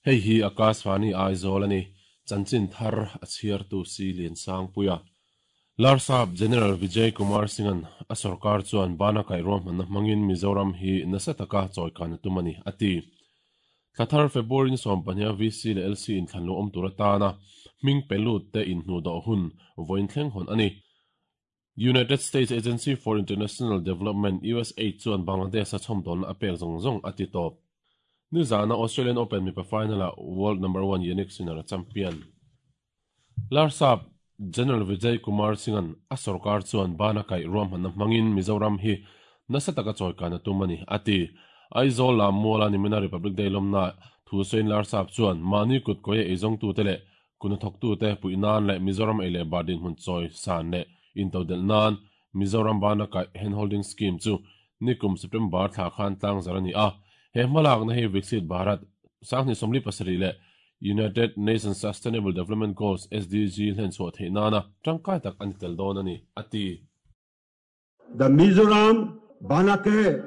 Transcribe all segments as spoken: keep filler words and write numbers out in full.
Hei hi Akashvani Aizawl ani chanchin thar a chhiartu si lian sang puia. Larsap General Vijay Kumar Singh-an a sarkar chuan bana kai ruahmanna hmangin Mizoram hi nasa taka chawikan a tum ani a ti. Thlathar February ni sawm pahnih a V C leh L C inthlan lo awm tur atana hming pelut te inhnu dawh hun vawiin thleng hawn ani. United States Agency for International Development U S A I D chuan Bangladesh a chhawmdawlna a pek zawng zawng a ti tawp. Nizana Australian Open mipa final-ah World Number one Jannik Sinner a champion. Larsap General Vijay Kumar Singh-an a sarkar chuan bana kai ruahmanna hmangin Mizoram hi nasa taka chawikan a tum ani a ti. Aizawl lam muala nimina Republic Day lawmna thu sawiin Larsap chuan mahni kut kawi a eizawng tu te leh kuna thawk tu te puihnan leh Mizoram ei leh bar dinhmun chawi san leh intodelh nan Mizoram bana kai handholding scheme chu nikum September thla khan tlang zar ani a. He hmalakna hi Viksit Bharat sanghnih sawmli pasarih leh United Nations Sustainable Development Goals S D G hlen chhuah theih nana tangkai tak ani tel dawn ani a ti. The Mizoram Bana Kai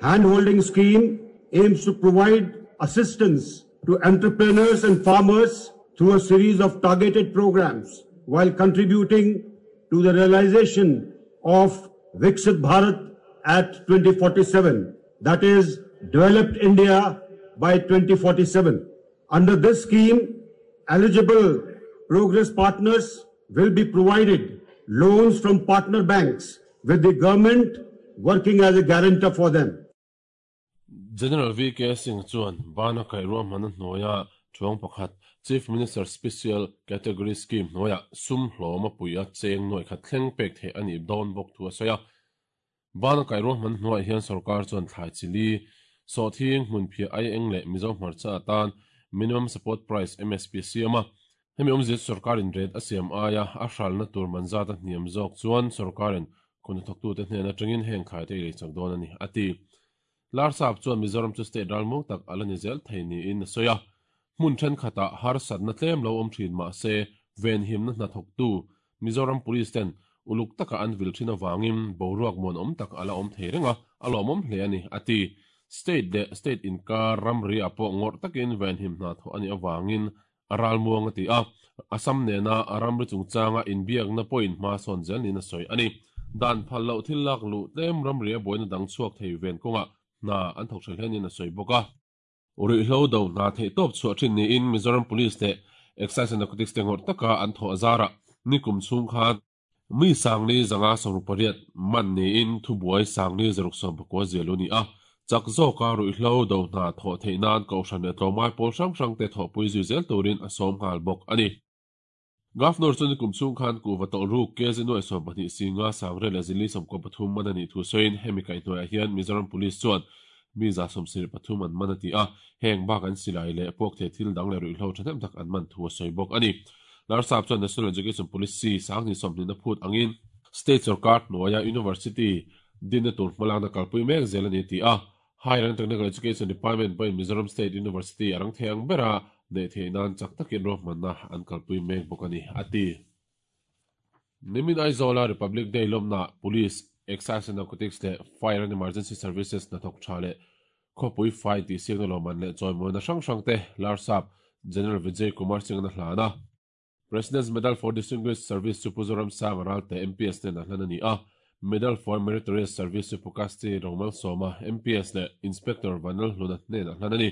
Handholding Scheme aims to provide assistance to entrepreneurs and farmers through a series of targeted programs while contributing to the realization of Viksit Bharat at twenty forty-seven, that is, Developed India by twenty forty-seven. Under this scheme, eligible progress partners will be provided loans from partner banks, with the government working as a guarantor for them. General V K Singh chuan bana kai ruahmanna hnuaia thuang pakhat Chief Minister Special Category Scheme hnuaia sum hlawm a pui a cheng nuai khat thleng pek theih ani dawn bawk thu a sawi a. Bana kai ruahmanna hnuaiah hian sarkar chuan thlai chili sawhthing hmun phiah ai eng leh Mizo hmarcha atan minimum support price M S P siam a. Hemi awmzia chu sarkarin ret a siam aia a hralna tur manzat a hniam zawk chuan sarkarin khuna thawktu te hnen atangin heng thlai te lei chak dawn ani a ti. Larsap chuan Mizoram chu state ral mung tak ala ni zel thei niin a sawi a. Hmun then khatah harsatna tlem lo awm thin mah se ven himna hna thawktu Mizoram Police ten uluk taka an vil thin awangin boruak muan awm tak ala awm thei renga a lawm awm hle ani a ti. State leh state inkar ramri a pawh ngawrh takin ven him hna thawh ani awangin a ral muang a ti a. Assam nena a ramri chungchanga inbiakna pawhin hma sawn zel niin a sawi ani. Dan phal loh thil lak luh tlem ramri a buaina dang chhuak thei ven kawngah hna an thawk hre hlenin a sawi bawk a. Ruihhlo do hna theih tawp chhuah thin niin Mizoram Police leh Excise and Narcotics te ngawrh taka an thawh a zara nikum chhung khan mi sangli zanga sawmruk pariat man niin thubuai sangli zaruk sawm pakua zial u ni a. Chak zawka ruihhlo do hna thawh theih nan kohhran leh tlawmngai pawl hrang hrang te thawhpui zui zel turin a sawm nghal bawk ani. Governor chuan nikum chhung khan kuhva tawlh ruk K Z nuai sawm pahnih singa sangre leh zili sawmkaw pathum man ani thu sawiin hemi kaihhnuaiah hian Mizoram Police chuan mi za sawm sarih pathum an man a ti a. Heng bak an silai leh puak thei thil dang leh ruihhlo thahnem tak an man thu a sawi bawk ani. Larsap chuan National Education Policy sanghnih sawmhnih na phut angin State sarkar hnuaia University dinna tur hmalakna kalpui mek zel ani ti a. Higher and Technical Education Department pawhin Mizoram State University a rang thei ang bera neih theih nan chak takin ruahmanna an kalpui mek bawk ani a ti. Nimin Aizawla Republic Day lawmna Police, Excise and Narcotics leh Fire and Emergency Services hna thawk tha leh khawpui fai tih siakna lawman leh chawimawina hrang hrang te Larsap General Vijay Kumar Singh-an a hlan a. President's Medal for Distinguished Service chu Pu Zoram Sang a ral te M P S nen a hlan ani a. Medal for Meritorious Service chu Pu Kasti Rongmal Sawma M P S leh Inspector Vanlal Hluna hnen a hlan ani.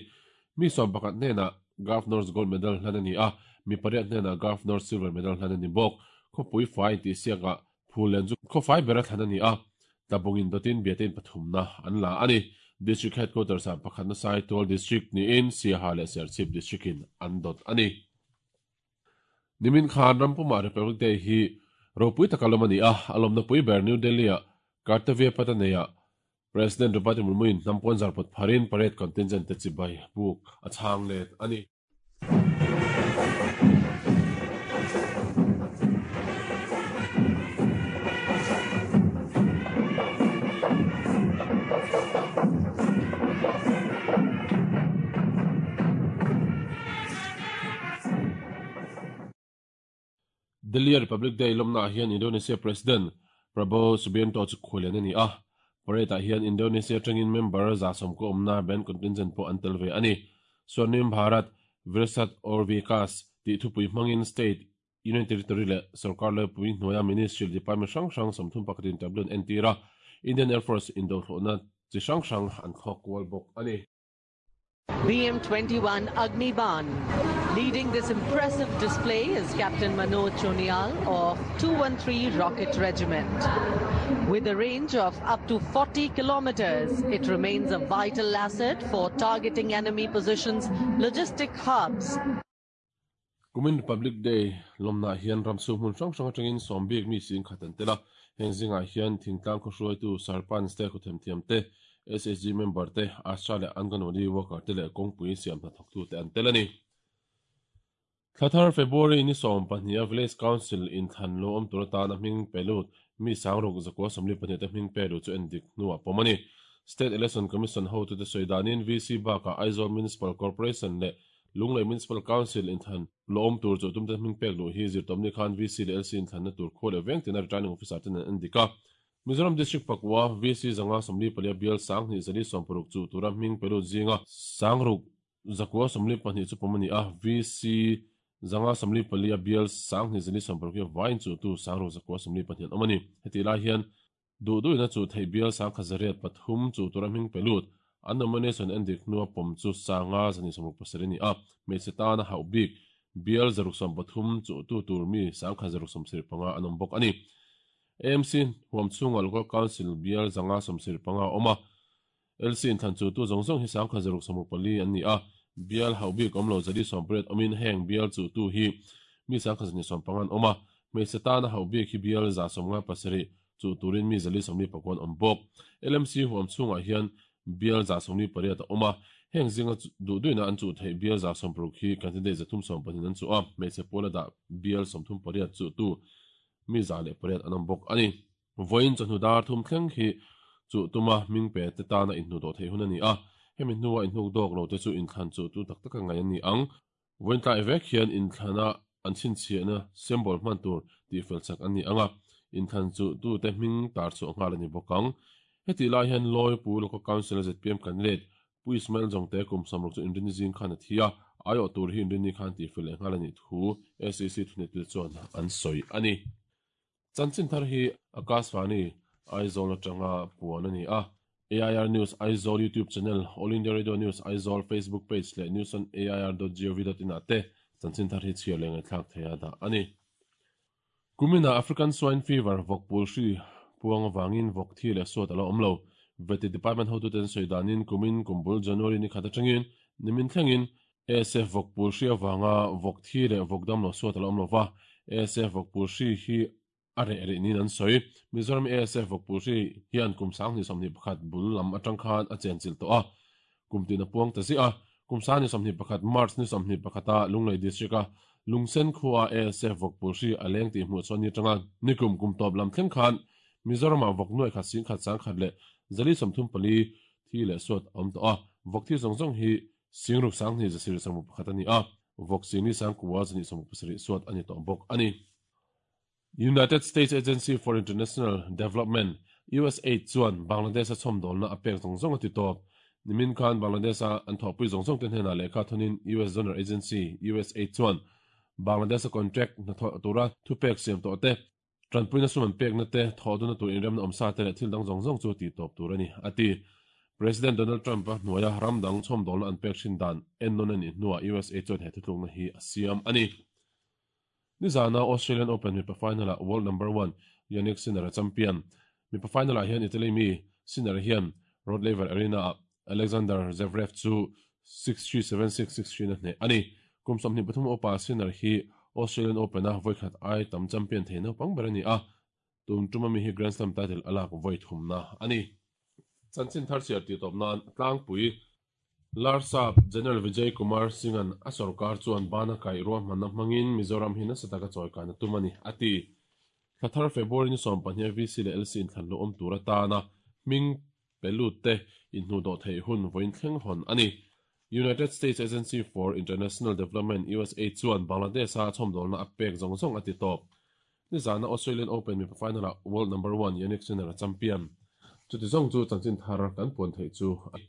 Mi sawm pakhat hnenah Governor's Gold Medal hlan ani a. Mi pariat hnenah Governor's Silver Medal hlan ani bawk. Khawpui fai tih siakah Phullen chu khawfai ber a thlan ani a. Tlabungin dawtin biatein pathumna an la ani. District Headquarters ah pakhatna Saitual District niin Siaha leh Serchhip District in an dawt ani. Nimin khan Rampuma Republic Day hi ropui taka lawm ani a. A lawmna pui ber New Delhi ah Kartavya Pataneia President Draupadi Murmu in hnampuan zarpawt pharin parade contingent te chibai buk a chhang let ani. Delhi Republic Day lawmna hian Indonesia President Prabowo Subianto chu khualen ani a. Parade ah hian Indonesia tangin member za sawm ko awmna band contingent pawh an tel ve ani. Swarnim Bharat Virasat aur Vikas tih thupui hmangin state Union Territory leh sorkar laipui hnuaia Ministry Department hrang hrang sawmthum pakhatin tableau an entir a, Indian Air Force indothlawhna chi hrang hrang an thlawk kual bawk a ni. B M twenty-one Agniban. Leading this impressive display is Captain Manoj Chonial of two one three Rocket Regiment. With a range of up to forty kilometers, it remains a vital asset for targeting enemy positions, logistic hubs. Kumin Republic Day lawmna hian ramchhung hmun hrang hrang atangin sawmbik mi sing khat an tel a, heng zingah hian thingtlang khawhruaitu sarpanch te khawthemthiam te S H G member te Asha leh Anganwadi worker te leh kawngpui siam hna thawktu te an tel a ni. Thlathar February ni sawm pahnih a Village Council in thlan lo awm tur atana hming pelut mi sangruk zakua sawmli pahnih te hming pelu chu en dik hnuah pawm a ni. State Election Commission hotu te sawidanin V C bakah Aizawl Municipal Corporation leh Lunglei Municipal Council in thlan lo awm tur chu tumte hming pek luh hi zirtawmni khan V C leh L C in thlanna tur khaw leh veng tina returning officer ten an en dik a. Mizoram District Pakua V C zanga sawmli palia bial sanghnih zali sawmparuk chu tura hming pelut zinga sangruk zakua sawmli pahnih chu pawm a ni a, V C zanga sawmli palia bial sanghnih zali sawmparuk hi vain chu tu sangruk zakua sawmli pahnih an awm a ni. Heti lai hian duhduhina chu thei bial sangkhat zariat pathum chu tura hming pelut an nomination en dik hnuah pawm chu sanga zani sawmruk pasarih a ni a, hmeichhe tana hauh bik bial zaruk sawm pathum chu tu tur mi sangkhat zaruk sawmsarih panga an awm bawk a ni. A M C huam chhunga Local Council bial zanga sawmsarih panga a awm a, L C in thlan chu tu zawng zawng hi sangkhat zaruk sawmruk pali an ni a, bial hauh bik awm lo zali sawmpariat awmin heng bial chu tu hi mi sangkhat zani sawm panga an awm a, hmeichhe tana hauh bik hi bial za sawmnga pasarih chu turin mi zali sawmli pakuan awm bawk. L M C huam chhungah hian bial za sawmli pariat a awm a, heng zinga duhduhina an chu thei bial za sawmparuk hi candidate zathum sawm pahnih an chu a, hmeichhe pawla dah bial sawmthum pariat chu tu mi za leh pariat an awm bawk a ni. Vawiin chawhnu dar thum thleng hi chu tuma hming pe te tana inhnu dawh thei hun a ni a, hemi hnuah inhnuk dawk lo te chu inthlan chu tu tak tak a ngai an ni ang. Vawiin tlai vek hian inthlana an chhinchhiahna symbol hman tur tih fel chak an ni ang a, inthlan chu tu te hming tar chu a nghal a ni bawk ang. Heti lai hian Lawipu Local Council Z P M candidate Pu Ismail Jongte kum samruk chu inrini zing khan a thi a, aiawh tur hi inrini khan tih fel leh nghal a nih thu S E C thunetu chuan an sawi a ni. Chanchin thar hi Akashvani Aizawl atanga puan a ni a, A I R News Aizawl YouTube channel, All India Radio News Aizawl Facebook page leh news on A I R dot gov dot in ah te chanchin thar hi chhiar leh ngaihthlak thei a dah a ni. Kumina African Swine Fever vawkpul hri puang awangin vawk thi leh suat a lo awm lo. Veti Department hotu ten sawidanin kumin kumbul January ni khat atangin nimin thlengin A S F vawkpul hri awanga vawk thi leh vawk dam lo suat a lo awm lova, A S F vawkpul hri hi a reh reh niin an sawi. Mizoram A S F vawkpul hri hian kum sanghnih sawmhnih pakhat bul lam atang khan a chenchilh tawh a, kum tin a puang ta ziah a, kum sanghnih sawmhnih pakhat March ni sawmhnih pakhata Lunglei District a Lungsen khuaa A S F vawkpul hri a leng tih hmuh chuan ni atanga nikum kum tawp lam thleng khan Mizoram ah vawk nuai khat sing khat sang khat leh zali sawmthum pali thi leh suat a awm tawh a, vawk thi zawng zawng hi singruk sanghnih zasir sawmruk pakhat a ni a, vawk singni sangkua zani sawmruk pasarih suat a ni tawh bawk a ni. United States Agency for International Development U S A I D chuan Bangladesh a chhawmdawlna a pek zawng zawng a ti tawp. Nimin khan Bangladesh a an thawhpui zawng zawng te hnenah lehkha thawnin U S Donor Agency U S A I D chuan Bangladesh a contract hna thawh tura thupek siam tawh te, tanpuina sum an pekna te, thawhduna tur inremna awm sa te leh thil dang zawng zawng chu ti tawp tur a ni, a ti. President Donald Trump a hnuaia ramdang chhawmdawlna an pek thin dan ennawn a nih hnuah U S A chuan he thutlukna hi a siam a ni. Nizana Australian Open mipa final-ah world number one Jannik Sinner a champion. Mipa final-ah hian Italy mi Sinner hian Rod Laver Arena-ah Alexander Zverev chu six three seven six six three na hneh a ni. Kum sawmhnih pathum upa Sinner hi Australian Open a voikhat ai tam champion thei naupang ber a ni a, tum tuma mi hi Grand Slam title a lak voi thumna a ni. Chanchin thar chhiar tih tawp nan tlangpui Larsap General Vijay Kumar Singh-an a sorkar chuan bana kaih ruahmanna hmangin Mizoram hi nasa taka chawi kan a tum a ni, a ti. Thlathar February ni sawm pahnih V C leh L C inthlan lo awm tur atana hming pelut te inhnu dawh theih hun vawiin thleng hawn a ni. United States Agency for International Development U S A chuan Bangladesh a chhawmdawlna a pek zawng zawng a ti tawp. Nizana Australian Open mipa final-ah world number one Jannik Sinner a champion. Chuti zawng chu chanchin thar kan puan theih chu a.